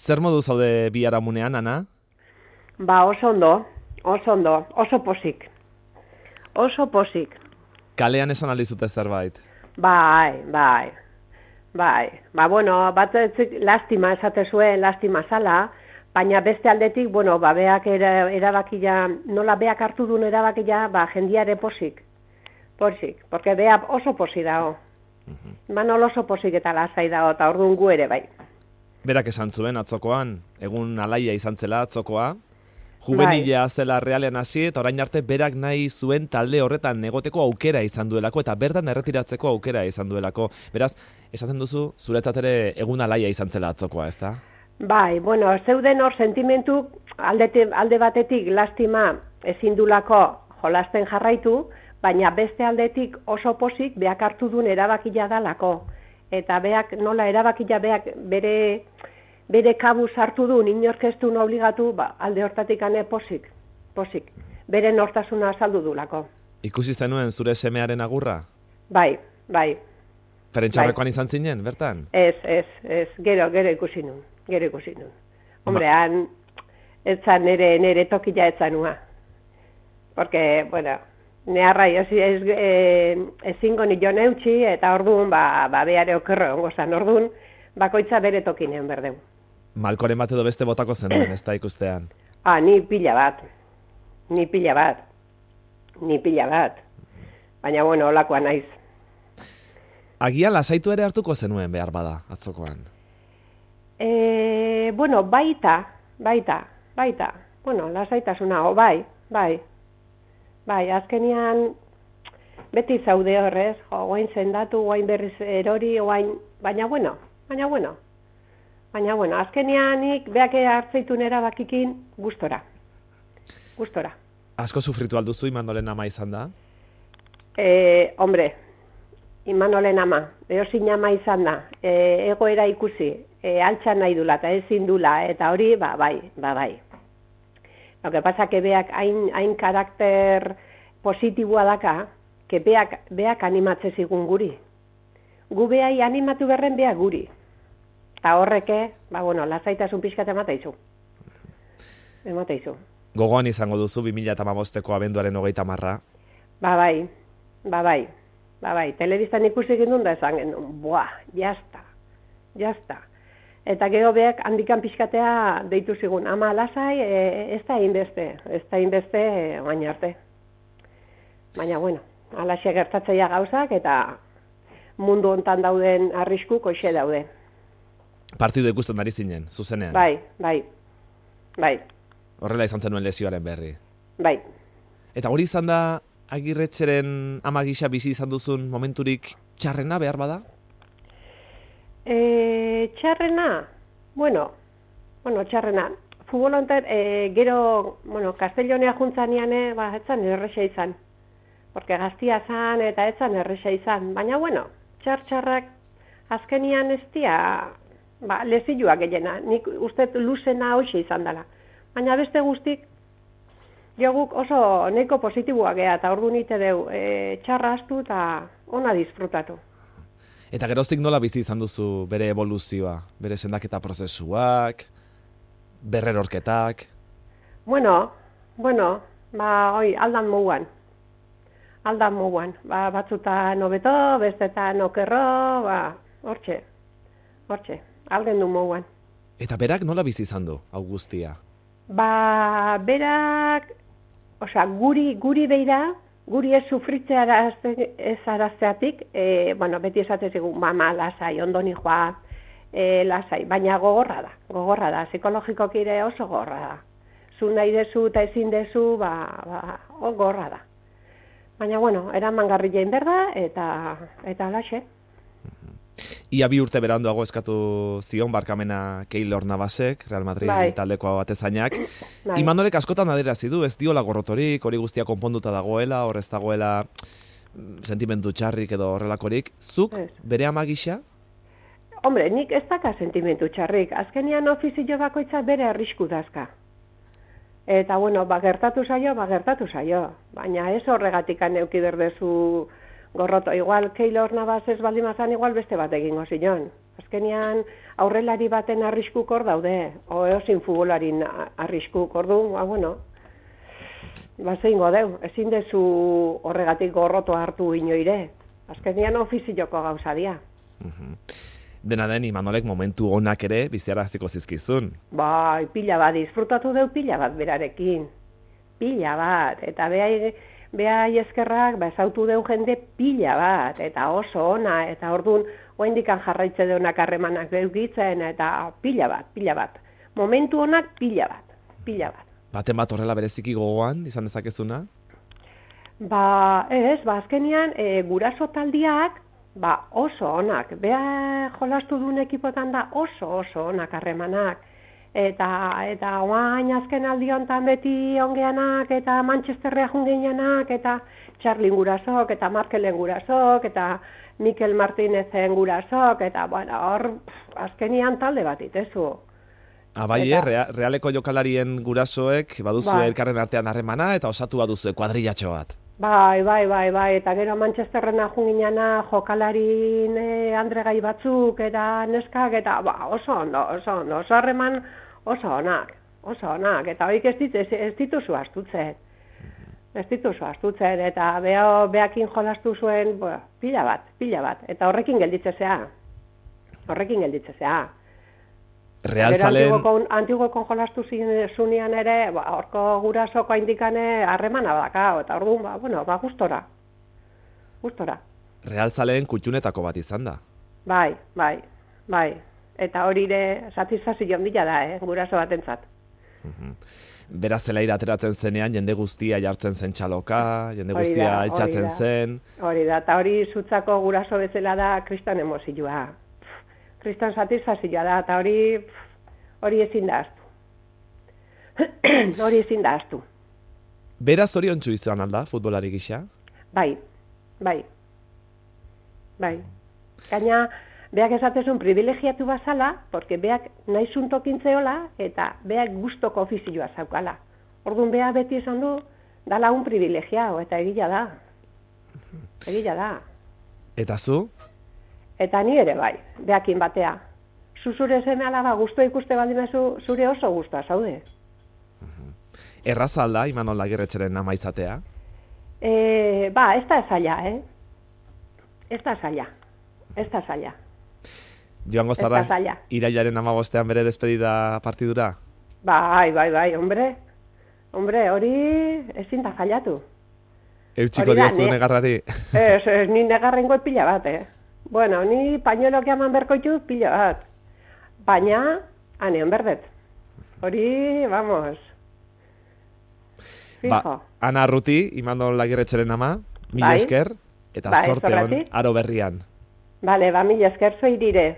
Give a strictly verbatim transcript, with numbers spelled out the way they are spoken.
Zer modu zaude biharamunean, Ana? Ba, oso ondo, oso ondo, oso posik. Oso posik. Kalean esan aldizute zerbait? Bai, bai, bai. Ba, bueno, bat lastima esate zuen, lastima zala, baina beste aldetik, bueno, ba, beak era, erabakia, nola beak hartu duen erabakia, ba, jendiare posik. Posik, porque bea oso posik dago. Uh-huh. Ba, nola oso posik eta lasai dago, eta orduan gu ere, bai. Berak esan zuen atzokoan, egun alaia izan zela atzokoa, juvenilea bai. Zela realean hasi, eta orain arte berak nahi zuen talde horretan negoteko aukera izan duelako, eta bertan erretiratzeko aukera izan duelako. Beraz, esaten duzu, zuretzat ere egun alaia izan zela atzokoa, ezta? Bai, bueno, zeuden hor sentimentu alde, alde batetik lastima ezin dulako jolasten jarraitu, baina beste aldetik oso posik beak hartu duen erabakia dalako. Eta beak nola erabakia beak bere, bere kabuz hartu duen inorkestun obligatu, ba, alde hortatik ane posik, posik. Bere nortasuna azaldu dulako. Ikusi zenuen zure semearen agurra? Bai, bai. Ferentxarrekoan bai. Izan zinen, bertan? Ez, ez, ez, gero, gero ikusi nun, gero ikusi nun. Hombre, Ma... han, etzan nere, nere tokila etzanua. Porque, bueno, neharrai, ez, ez, ez, ezingo nio neutxi, eta orduan, ba, ba beare okerro ongo zan, orduan, bakoitza bere tokinen berdeu. Malkoren bat edo beste botako zenuen, ez da ikustean? Ah, ni pila bat, ni pila bat, ni pila bat. Baina, bueno, olakoa naiz. Agian lasaitu ere hartuko zenuen behar bada, atzokoan? E, bueno, baita, baita, baita. Bueno, lasaitasuna, o bai, bai. Bai, azkenian beti zaude horrez, jo, guain zendatu, guain berriz erori, guain, baina bueno, baina bueno. Baina bueno, azkenian nik beak hartzeitun erabakikin gustora. Gustora. Asko sufritu alduzu Imanolen ama izan da? Eh, hombre, Imanolen ama, eozin ama izan da, e, egoera ikusi, e, altxan nahi dula eta ezin dula, eta hori, ba, bai, ba, bai. Lo que pasa que beak hain, hain karakter positiboa daka, que beak, beak animatze zigun guri. Gu behai animatu berren beak guri. Eta horreke, ba, bueno, lasaitasun pixkat emata izu. Emata izu. Gogoan izango duzu bi mila hamabosteko abenduaren hogeita marra? Ba, bai, ba, bai. Ba, bai, telebistan ikusi gindun da esan genuen, buah, jazta, jazta. Eta gero beak handikan pixkatea deitu zigun, ama lasai, e, ez da inbeste, ez da inbeste, e, baina arte. Baina, bueno, alaxe gertatzeia gauzak eta mundu hontan dauden arrisku koixe daude. Partidu ikusten ari zinen, zuzenean? Bai, bai, bai. Horrela izan zenuen lesioaren berri? Bai. Eta hori izan da Agirretxeren ama gisa bizi izan duzun momenturik txarrena behar bada? E, txarrena, bueno, bueno, txarrena. Futbol hontan, e, gero, bueno, Castellonea juntzanean, e, ba, etzan erresa izan. Porque gaztia zan eta etzan erresa izan. Baina, bueno, txar-txarrak azkenian ez dia, ba, lezioak gehiena. Nik uste luzena hoxe izan dela. Baina beste guztik, jo guk oso neko positiboa geha, eta ordu nite deu, e, txarra astu eta ona disfrutatu. Eta geroztik nola bizi izan duzu bere evoluzioa, bere sendaketa prozesuak, berrerorketak? Bueno, bueno, ba, oi, aldan moguan. Aldan moguan. Ba, batzutan hobeto, bestetan okerro, ba, hortxe, hortxe, alden du moguan. Eta berak nola bizi izan du, hau guztia? Ba, berak, osea, guri, guri beira, guri ez sufritzea ez arazteatik, e, bueno, beti esatez egun, mama, lasai, ondoni joa, e, lasai, baina gogorra da, gogorra da, psikologikoki ere oso gogorra da. Zu nahi dezu eta ezin dezu, ba, ba, o, gogorra da. Baina, bueno, eraman garri jain berda, eta, eta laxe. Ia bi urte beranduago eskatu zion barkamena Keylor Navasek, Real Madrid bai. Taldeko batezainak. Bai. Imanolek askotan adierazten du, ez diola gorrotorik, hori guztia konponduta dagoela, hor ez dagoela sentimendu txarrik edo horrelakorik. Zuk, ez. Bere ama gisa? Hombre, nik ez daka sentimendu txarrik. Azkenian ofizio bakoitza bere arrisku dazka. Eta, bueno, ba, gertatu zaio, ba, gertatu zaio. Baina ez horregatik aneuki berdezu gorroto. Igual Keylor Navas ez baldimazan, igual beste bat egingo zion. Azkenean aurrelari baten arriskuk hor daude, o eozin futbolarin arriskuk, ordu, ba, bueno, ba, zeingo deu, ezin dezu horregatik gorroto hartu inoire. Azkenean ofizioko gauza dia. Dena den, Imanolek momentu onak ere biziaraziko zizkizun. Bai, pila bat, disfrutatu deu pila bat berarekin. Pila bat, eta behai, behai eskerrak, bezautu deu jende pila bat, eta oso ona, eta orduan, oendikan jarraitze deunak harremanak deukitzen, eta pila bat, pila bat. Momentu onak pila bat, pila bat. Baten bat horrela bereziki gogoan, izan dezakezuna? Ba, ez, ba, azkenian, e, guraso taldiak, ba, oso onak. Bea jolastu duen ekipotan da oso, oso onak harremanak. Eta, eta oain azken aldi honetan beti ongeanak, eta Manchesterrea jungianak, eta Charlin gurasok, eta Markelen gurasok, eta Mikel Martinezen gurasok, eta, bueno, hor, azkenian talde bat itezu. Abai, eta, eh, realeko jokalarien gurasoek baduzu bai, elkarren artean harremana, eta osatu baduzu kuadrillatxo bat. Bai, bai, bai, bai, eta gero Manchesterrena junginana jokalarin eh, andregai batzuk eta neskak, eta ba, oso ondo, oso ondo, oso harreman oso onak, oso onak, eta horik ez, dit, ez, ez dituzu astutzen, ez dituzu astutzen, eta beho, behakin jolastu zuen, bo, pila bat, pila bat, eta horrekin gelditzezea, horrekin gelditzezea. Realzalen... Antigokon jolastu zunean ere, ba, orko gurasoko indikane harremana badakao, eta orduan, ba, bueno, ba, gustora. Gustora. Realzaleen kutxunetako bat izan da. Bai, bai, bai. Eta hori ere satisfazio handia da, eh, guraso batentzat. Beraz zelaira ateratzen zenean, jende guztia jartzen zen txaloka, jende guztia altxatzen zen. Hori da, eta hori zutzako guraso bezala da kriston emozioa. Kriston satisfazioa da, eta hori hori ezin da aztu. Hori ezin da aztu. Beraz zoriontsu izan alda, futbolari gisa? Bai, bai. Bai. Gaina, beak esatezun privilegiatu bazala, porque beak nahi zuntokintzeola, eta beak gustoko ofizioa zaukala. Orduan beak beti esan du, dala un privilegiao, eta egila da. Egila da. Eta zu? Eta ni ere bai, beakin batea. Zuzure zeme alaba guztua ikuste baldimezu, zure oso guztua zaude. Erraza alda, Imanol Agirretxeren ama izatea? E, ba, ez da zaila, eh? Ez da zaila, ez da zaila. Joango zara, irailaren amabostean bere despedida partidura? Bai, bai, bai, hombre. Hombre, hori ezin da zailatu. Eutxiko diozu negarrari? Ez, ez, ni negarrengo pila bat, eh? Bueno, ni pañuelok eman berkoitu pila bat. Baina, anean berdet. Hori, vamos. Fijo. Ba, Ana Arruti, Imanol Agirretxeren ama, mila bai, esker, eta bai, zorte hon, aro berrian. Bale, ba, mila esker zoirire.